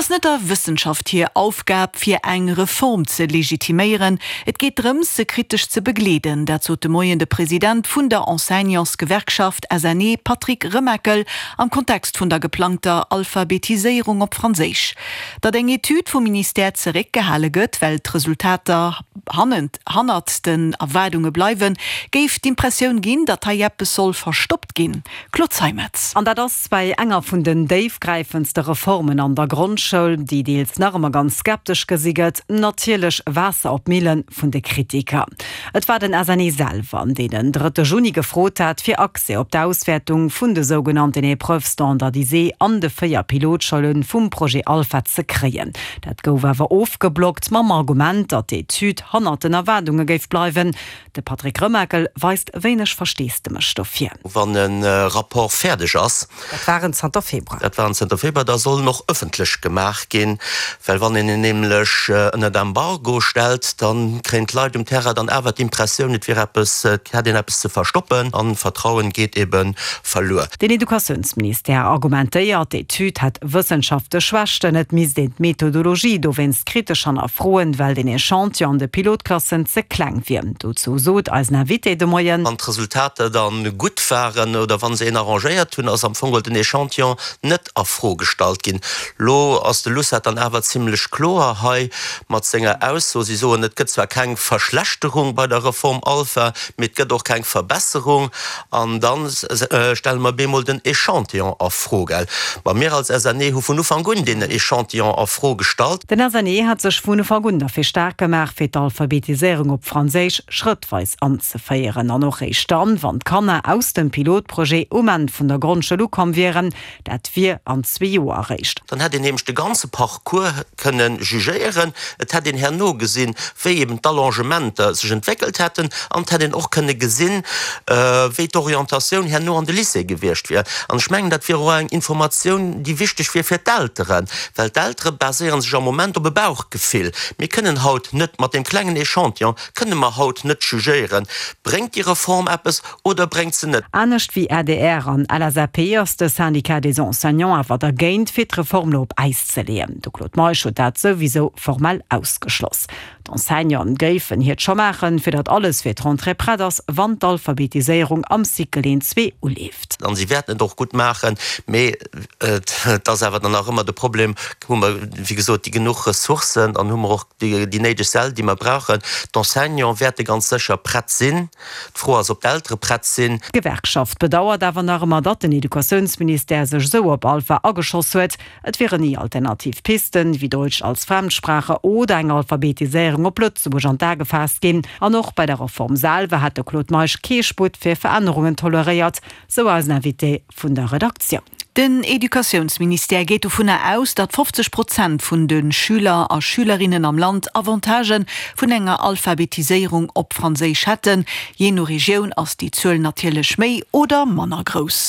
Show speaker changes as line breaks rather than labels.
ass net der Wëssenschaft hir Aufgab, fir eng Reform ze legitiméieren. Et geet drëms, se kritesch ze begleeden. Dat sot de Moien de President vun der Enseignantsgewerkschaft SNE, Patrick Remakel, am Kontext vun der geplangter Alphabetiséierung op Franséisch. Datt eng Etüd vum Ministère zeréckgehale gëtt, well d'Resultater hannert den Erwaardunge bleiwen, géif d'Impressioun ginn, datt hei eppes soll verstoppt ginn. Claude Zeimetz.
An dat ass bäi enger vun den déifgräifendste Reformen an der Grondschoul, déi deels nach ëmmer ganz skeptesch gesi gëtt, natierlech Waasser op d'Mille vun de Kritiker. Et war den SNE selwer, deen den drëtte Juni gefrot hat, fir Accès op d'Auswäertung vun de sougenannten Épreuves standardisées an de 4 Pilotschoule vum Projet Alpha ze kréien. Dat gouf awer ofgeblockt mam Argument, datt d'Etüd hannert den Erwaardunge géif bleiwen. De Patrick Remakel weist wéineg Versteesdemech dofir.
Wann e Rapport fäerdeg ass.
Dat war en zanter Februar.
Dat war en zanter Februar. Da soll en och ëffentlech gemaach ginn, well wann een en nämlech ënnert Embargo stellt, da kréien d'Leit um Terrain dann awer d'Impressioun, et wier eppes, et hätt een eppes ze verstoppen an Vertrauen geet ebe verluer.
Den Educatiounsministère argumentéiert, d'Etüd hätt wëssenschaftlech Schwächten, et misst een d'Methodologie dowéinst kritesch hannerfroen, well den Echantillon an de Pilotklassen ze kleng wier. Dozou sot eisen Invité de Moien.
Wann d'Resultater da gutt waren oder wa se een arrangéiert hunn, ass am Fong geholl den Echantillon net a Fro gestallt ginn. Lo ass de LUCET dann awer zimlech kloer hei mat senger Ausso. Si soen, et gëtt zwar keng Verschlechterung bei der Reform Alpha, mee et gëtt och keng Verbesserung. An da stelle mer bemol den Echantillon a Fro, gell? Ma mir als SNE hu vun Ufank un deen Echantillon a Fro gestallt.
Den SNE hat sech vun Ufank un derfir staark gemaach, fir d'Alphabetiséierung op Franséisch schrëttweis anzeféieren an och réischt dann, wann d'Kanner aus dem Pilotprojet um Enn vun der Grondschoul ukomm wieren. Dat wier an zwee Joer eréischt.
Dann hätt een nämlech de ganze Parcours kënne jugéieren, et hätt een herno gesinn, wéi eben d'Allongementer sech entwéckelt hätten an et hätt een och kënne gesinn, wéi d'Orientatioun herno an de Lycée gewiescht wier. An ech mengen, dat wier och eng Informatioun, déi wichteg wier fir d'Elteren, well d'Eltere baséiere sech am Moment op e Bauchgefill. Mir kënnen haut net, mat deem klengen Echantillon kënne mer haut net jugéieren, bréngt déi Reform eppes Oder bréngt se net?
Anescht wéi adr an LSAP ass de Syndicat des Enseignants awer dergéint, fir d'Reform lo op Äis ze leeën. De Claude Meisch huet dat souwisou formell ausgeschloss. D'Enseignanten géifen hiert scho maachen, fir datt alles fir d'Rentrée prett ass, wann d'Alphabetiséierung am Cycle 1, 2 uleeft.
An si wäerten et och gutt maachen, mee et ass awer dann nach ëmmer de Problem, hu mer, wéi gesot, déi genuch Ressourcen an hu mer och déi néideg Säll, déi mer brauchen. D'Enseignante wäerte ganz sécher prett sinn. D'Fro ass, ob d'Eltere prett sinn.
D'Gewerkschaft bedauert awer nach ëmmer, datt den Educatiounsministère sech esou op Alpha ageschoss huet. Et wieren ni alternativ Pisten, wéi Deutsch als Fremdsprache oder eng Alphabetiséierung op Lëtzebuerg an d'A gefaasst ginn. An och bei der Reform selwer hätt de Claude Meisch kee Sputt fir Verännerungen toleréiert, sou eisen Invité vun der Redaktioun.
Den Educatiounsministère geet dovunner aus, datt 50 Prozent vun de Schüler a Schülerinnen am Land Avantagë vun enger Alphabetiséierung op Franséisch hätten. Jee no Regioun ass déi Zuel natierlech méi oder manner grouss.